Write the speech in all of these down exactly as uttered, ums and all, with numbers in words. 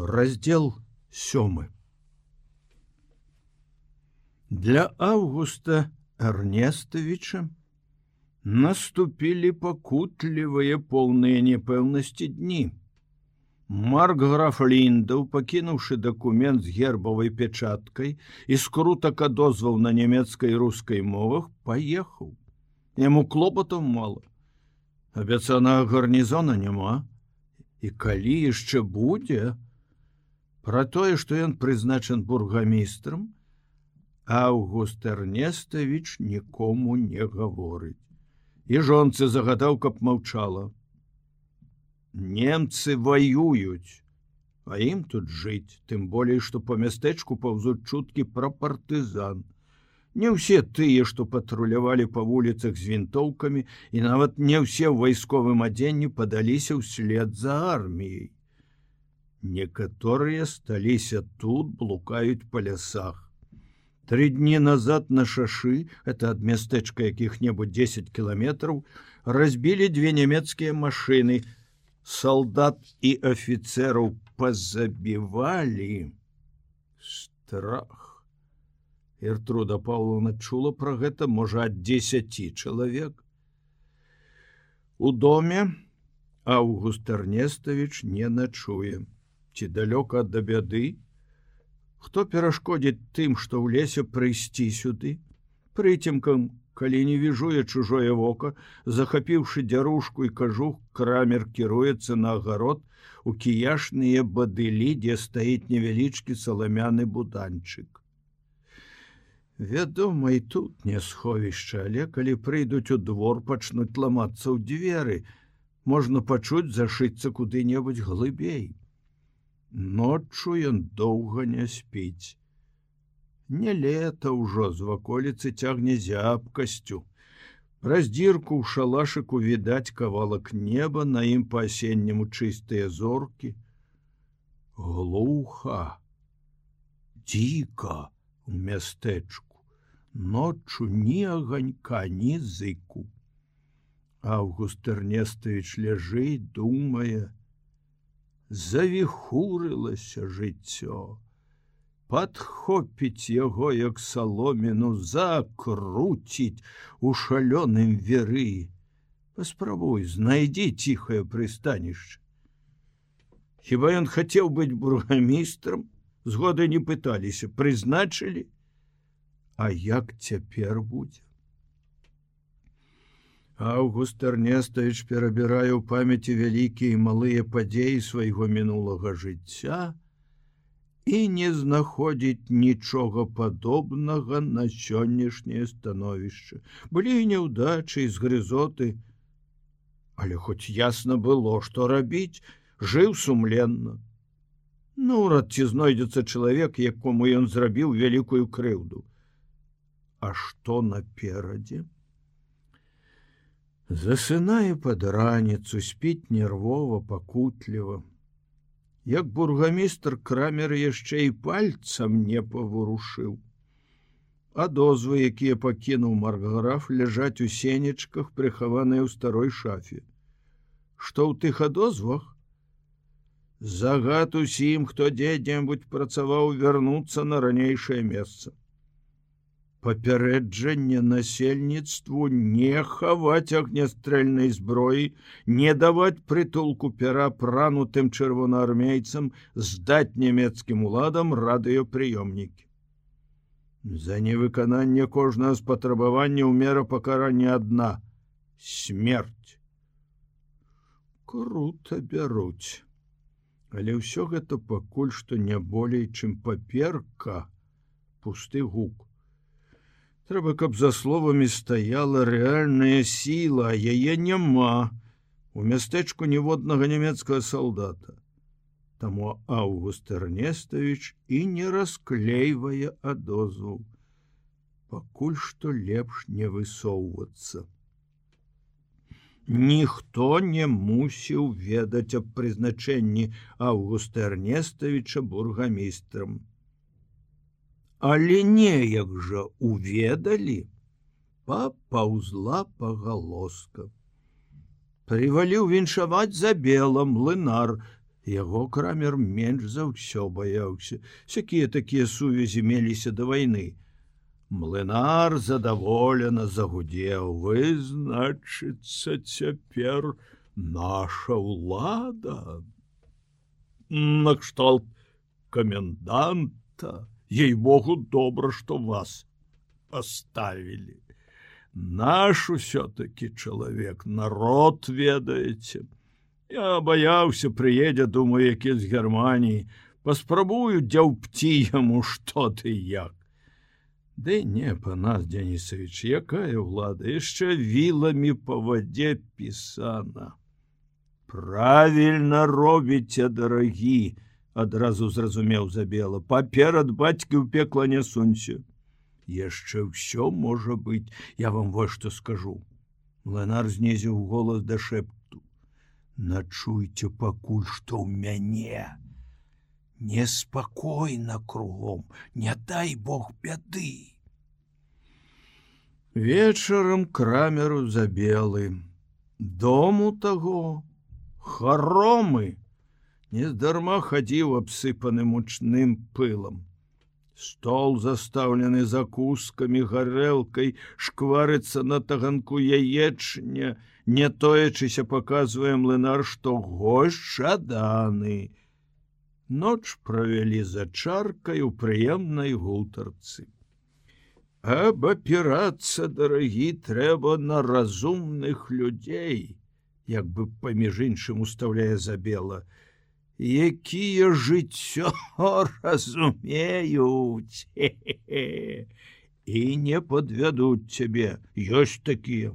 Раздел сёмы. Для Августа Эрнестовича наступили пакутлівыя поўныя непэўнасці дні. Маркграф Ліндаў, пакінуўшы дакумент з гербавай печаткай і скрутак адозваў на нямецкай і рускай мовах, паехаў. Яму клопатаў мала. Абяцанага гарнізона няма. І калі яшчэ будзе, пра тое, што ён прызначан бургамістрам, Август Эрнестович нікому не гаворыць. І жонцы загадаў, каб маўчала. Немцы воююць, а ім тут жыць, тым болей, што па мястэчку паўзуць чуткі пра партызан. Не ўсе тыя, што патрулявалі па вуліцах з вінтоўкамі, і нават не ўсе ў вайсковым адзенні падаліся ўслед за арміяй. Некаторыя сталіся тут, блукаюць па лясах. Тры дні назад на шашы, это ад мястэчка якіх-небудзь дзесяць кіламетраў, разбілі две нямецкія машыны. Салдат і афіцэраў пазабівалі. Страх. Гертруда Паўловна чула пра гэта, можа, ад дзесяці чалавек. У доме Август Эрнестович не начуе. Ці далёка ад бяды? Хто перашкодзіць тым, што ў лесе прыйсці сюды? Прыцемкам, калі не віжуе чужое вока, захапіўшы дзярушку і кажух, крамер кіруецца на агарод у кіяшныя бадылі, дзе стаіць невялічкі саламяны буданчык. Вядома, і тут не сховішча, але калі прыйдуць у двор, пачнуць ламацца ў дзверы, можна пачуць зашыцца куды-небудзь глыбей. Ноччу ён доўга не спіць. Не лета ўжо, з ваколіцы цягне зябкасцю. Праз дзірку ў шалашыку відаць кавалак неба, на ім па-асенняму чыстыя зоркі. Глуха, дзіка у мястэчку. Ноччу ні аганька, ні зыку. Август Эрнестович ляжыць, думае. Завіхурылася жыццё. Падхопіць яго, як саломіну, закруціць у шалёным веры. Паспрабуй, знайдзі ціхае прыстанішча. Хіба ён хацеў быць бургамістрам? Згоды не пыталіся, прызначылі? А як цяпер будзе? Август Эрнестович перабірае ў памяці вялікія і малыя падзеі свайго мінулага жыцця і не знаходзіць нічога падобнага на сённяшняе становішча. Былі і няўдачы, і згрызоты, але хоць ясна было, што рабіць, жыў сумленна. Наўрад ці знойдзецца чалавек, якому ён зрабіў вялікую крыўду. А што наперадзе? Засынае пад раніцу, спіць нервова, пакутліва. Як бургамістр, крамер яшчэ і пальцам не паварушыў. Адозвы, якія пакінуў маркграф, ляжаць у сенечках, прыхаваныя ў старой шафе. Што ў тых адозвах? Загад усім, хто дзе-небудзь працаваў, вярнуцца на ранейшае месца. Папярэджанне насельніцтву не хаваць агнястрэльнай зброі, не даваць прытулку пераапранутым чырвонаармейцам, здаць нямецкім уладам радыёпрыёмнікі. За невыкананне кожнага з патрабаванняў мера пакарання адна — смерць. Крута бяруць. Але ўсё гэта пакуль што не болей, чым паперка, пусты гук. Трэба, каб за словамі стаяла рэальная сіла, а яе няма. У мястэчку ніводнага нямецкага салдата. Таму Август Эрнестович і не расклейвае адозваў. Пакуль што лепш не высоўвацца. Ніхто не мусіў ведаць аб прызначэнні Августа Эрнестовича бургамістрам. Але неяк жа уведалі, папаўзла пагалоска. Прываліў віншаваць за бела млынар, Яго Крамер менш за ўсё баяўся. Сякія такія сувязі меліся да вайны. Млынар задаволена загудзеў: вы, значыцца, цяпер наша ўлада. Накшталт коменданта. Ей-богу, добра, што вас поставілі. Наш усё-таки чалавек, народ, ведаеце. Я баяўся, прыедзе, думаю, які з Германіі, паспрабую дзяўпці яму што ты як. Ды не, Панас Дзянісавіч, якая ўлада, яшчэ віламі па вадзе пісана. Правільна робіце, дарагі, адразу зразумеў Забела, паперад бацькі ў пекла не сунься. Яшчэ ўсё можа быць, я вам вось што скажу. Млынар знізіў голас да шэпту. Начуйте пакуль што ў мяне. Неспакойна кругом, не дай бог бяды. Вечарам Крамеру Забелы. Дому таго, хоромы, нездарма хадзіў абсыпаны мучным пылам. Стол застаўлены закускамі, гарэлкай, шкварыцца на таганку яечня, не тоячыся паказвае Млынар, што госць жаданы. Ноч правялі за чаркай у прыемнай гутарцы. Абапірацца, дарагі, трэба на разумных людзей, як бы паміж іншым устаўляе Забела, якія жыццё разумеюць і не падвядуць цябе, ёсць такія.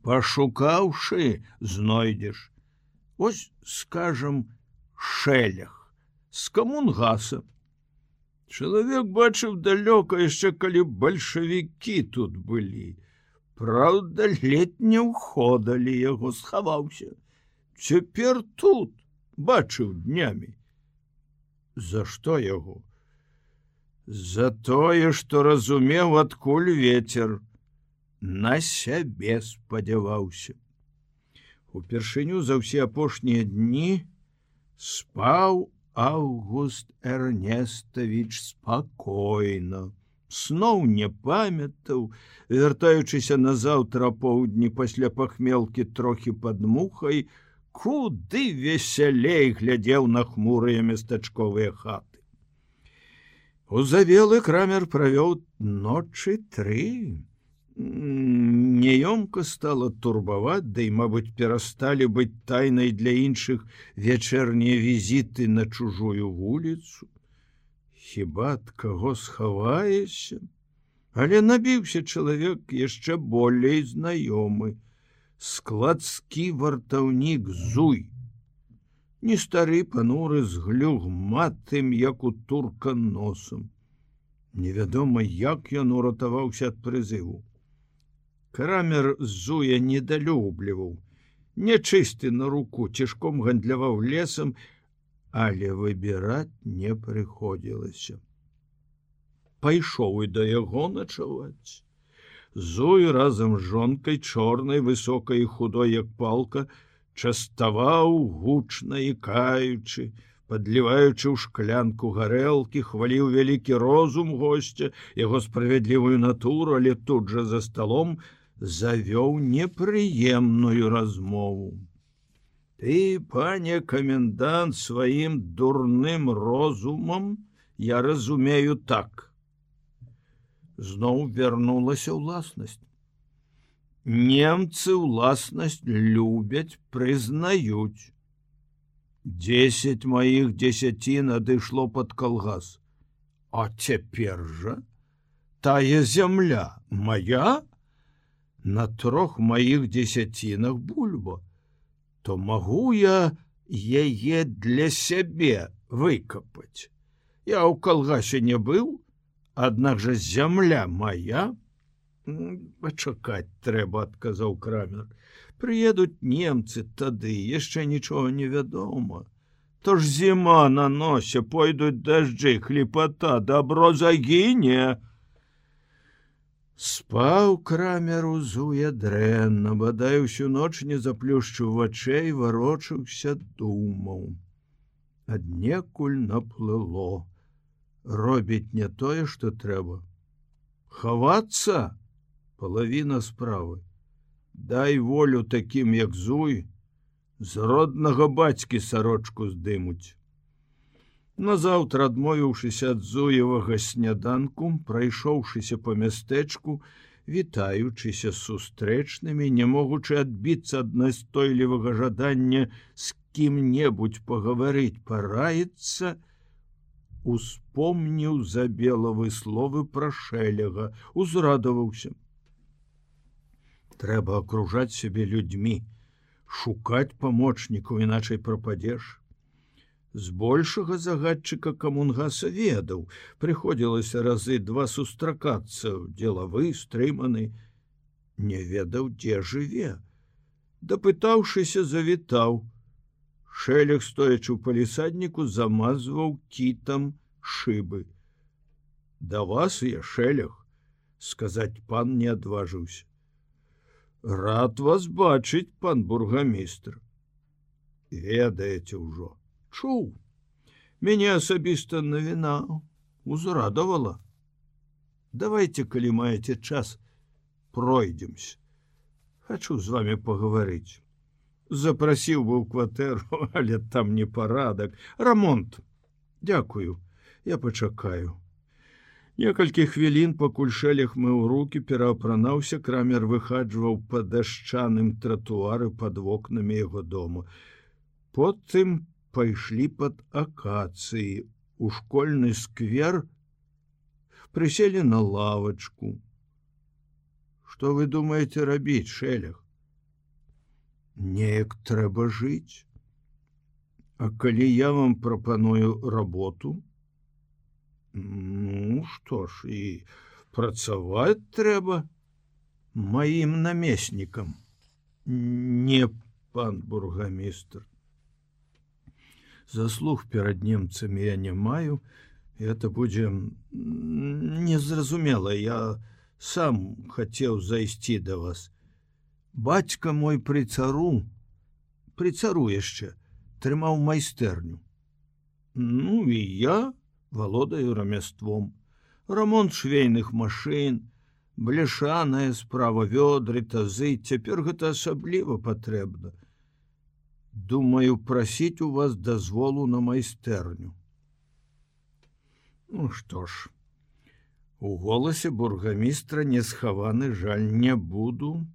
Пашукаўшы, знойдзеш. Ось, скажам, Шэлях з камунгаса. Чалавек бачыў далёка яшчэ, калі бальшавікі тут былі. Праўда, ледь не ўходалі, яго схаваўся. Цяпер тут, бачыў днямі. За што яго? За тое, што разумеў, адкуль вецер. На сябе спадзяваўся. Упершыню за ўсе апошнія дні спаў Аўгуст Эрнестович спакойна. Сноў не памятаў, вяртаючыся назаўтра поўдні пасля пахмелкі трохі пад мухай, куды весялей глядзеў на хмурыя местачковыя хаты. У Забелы Крамер правёў ночы тры. Няёмка стала турбаваць, да і, мабыць, перасталі быць тайнай для іншых вечернія візіты на чужую вуліцу. Хіба ад каго схаваешся? Але набіўся чалавек яшчэ болей знаёмы. Складскі вартаўнік Зуй. Не стары пануры з глюгматым, як у турка, носам. Невядома, як ён уратаваўся ад прызыву. Крамер Зуя недалюбліваў, нячысты на руку, цішком гандляваў лесам, але выбіраць не прыходзілася. Пайшоў і да яго начаваць. Зуй разам з жонкай, чорнай, высокай і худой, як палка, частаваў гучна і каючы, падліваючы ў шклянку гарэлкі, хваліў вялікі розум госця, яго справядлівую натуру, але тут жа за сталом завёў непрыемную размову. Ты, пане комендант, сваім дурным розумам, я разумею так. Зноў вярнулася ўласнасць. Немцы ўласнасць любяць, прызнаюць. Десять моих дзесяцін адышло пад калгас. А цяпер жа тая зямля моя? На трох маіх дзесяцінах бульба. То магу я яе для сябе выкапаць. Я ў калгасе не быў, аднак жа зямля моя. Пачакаць трэба, адказаў Крамер. Прыедуць немцы тады, яшчэ нічога не вядома. То ж зіма на носе, пойдуць дажджы, хліпата, добро загіне. Спаў Крамер узуе дрэнна, бадай усю ноч не заплюшчыў вачэй, варочаўся, думаў. Аднекуль наплыло. Робіць не тое, што трэба. Хавацца — палавіна справы. Дай волю такім, як Зуй, з роднага бацькі сарочку здымуць. Назаўтра, адмовіўшыся ад Зуевага сняданку, прайшоўшыся па мястэчку, вітаючыся з сустрэчнымі, не могучы адбіцца ад настойлівага жадання з кім-небудзь пагаварыць, параіцца, успомніў Забелавы словы пра Шэлега, узрадаваўся. Трэба акружаць сябе людзьмі, шукаць памочнікаў, іначай прападзеш. Збольшага загадчыка Камунгаса ведаў, прыходзілася разы два сустракацца, дзелавы, стрыманы, не ведаў, дзе жыве. Дапытаўшыся, завітаў. Шэлег, стоячы ў палісадніку, замазваў кітам шыбы. Да вас я, Шэлег, сказаць пан не адважыўся. Рад вас бачыць, пан бургамістр. Ведаеце ўжо. Чуў. Мяне асабіста навіна узрадавала. Давайте, калі маеце час, пройдемся. Хачу з вами пагаварыць. Запрасіў бы ў кватэру, але там не парадак. Рамонт. Дякую, я пачакаю. Некалькі хвілін, пакуль Шэлег мыў рукі, пераапранаўся, Крамер выхаджваў па дашчаным тратуары пад вокнамі яго дому. Потым пайшлі пад акацыі у школьны сквер, прыселі на лавачку. Што вы думаеце рабіць, Шэлег? Неяк трэба жыць. А калі я вам прапаную работу? Ну, што ж, і працаваць трэба маім намеснікам. Не, пан бургамістр. Заслуг перад немцамі я не маю, это будзе незразумела, я сам хацеў зайсці да вас. Бацька мой пры цару, пры цару яшчэ, трымаў майстэрню. Ну і я валодаю рамяством. Рамонт швейных машын, бляшаная справа, вёдры, тазы, цяпер гэта асабліва патрэбна. Думаю, прасіць у вас дазволу на майстэрню. Ну што ж, у голасе бургамістра не схаваны жаль, не буду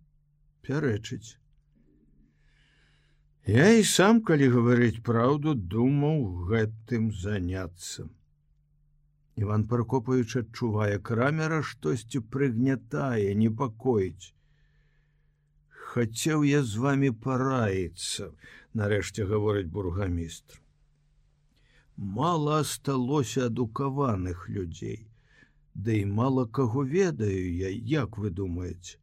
пярэчыць. Я і сам, калі гаварыць праўду, думаў гэтым заняцца. Іван Пракопавіч адчувае, Крамера штосьці прыгнятае, непакоіць. Хацеў я з вами параіцца, нарэшце гаворыць бургамістр. Мала асталося адукаваных людзей, да і мала каго ведаю я, як вы думаеце?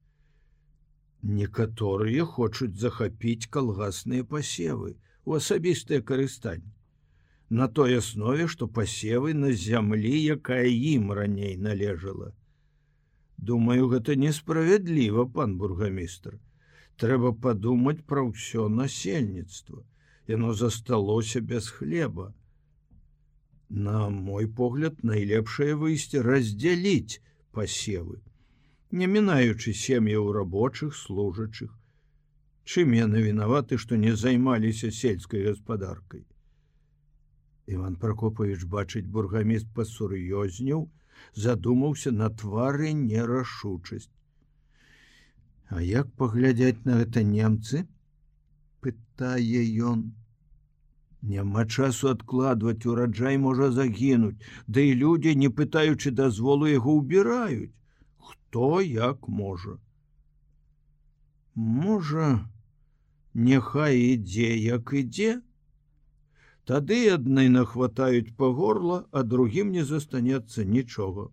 Некаторыя хочуць захапіць калгасныя пасевы у асабістае карыстанне, на той аснове, што пасевы на зямлі, якая ім раней належала. Думаю, гэта несправядліва, пан бургамістр. Трэба падумаць пра ўсё насельніцтва. Яно засталося без хлеба. На мой погляд, найлепшае выйсце раздзяліць пасевы, не мінаючы сем'яў рабочых, служачых. Чым яны вінаваты, што не займаліся сельскай гаспадаркай? Іван Пракопавіч, бачыць, бургаміст пасур'ёзнеў, задумаўся, на твары нерашучасць. А як паглядзяць на гэта немцы? Пытае ён. Няма часу адкладваць, ураджай можа загінуць, да і людзі, не пытаючы дазволу, яго ўбіраюць. Хто як можа. Можа, няхай ідзе, як ідзе? Тады адны нахватаюць па горла, а другім не застанецца нічога.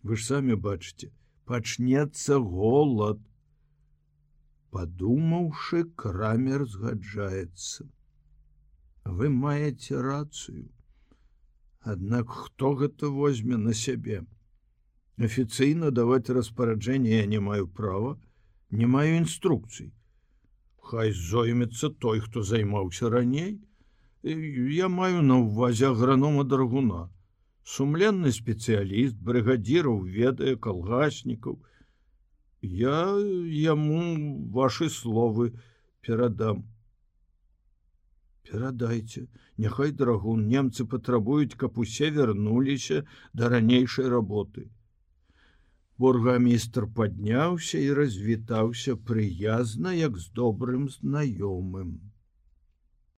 Вы ж самі бачыце, пачнецца голад. Падумаўшы, Крамер згаджаецца. Вы маеце рацыю. Аднак хто гэта возьме на сябе? Афіцыйна даваць распараджэнне я не маю права, не маю інструкцый. Хай зоймецца той, хто займаўся раней. Я маю на ўвазе агранома Драгуна. Сумленны спецыяліст, брыгадзіраў ведае калгаснікаў. Я яму вашы словы перадам. Перадайце, няхай Драгун, немцы патрабуюць, каб усе вярнуліся да ранейшай работы. Бургамістр падняўся і развітаўся прыязна, як з добрым знаёмым.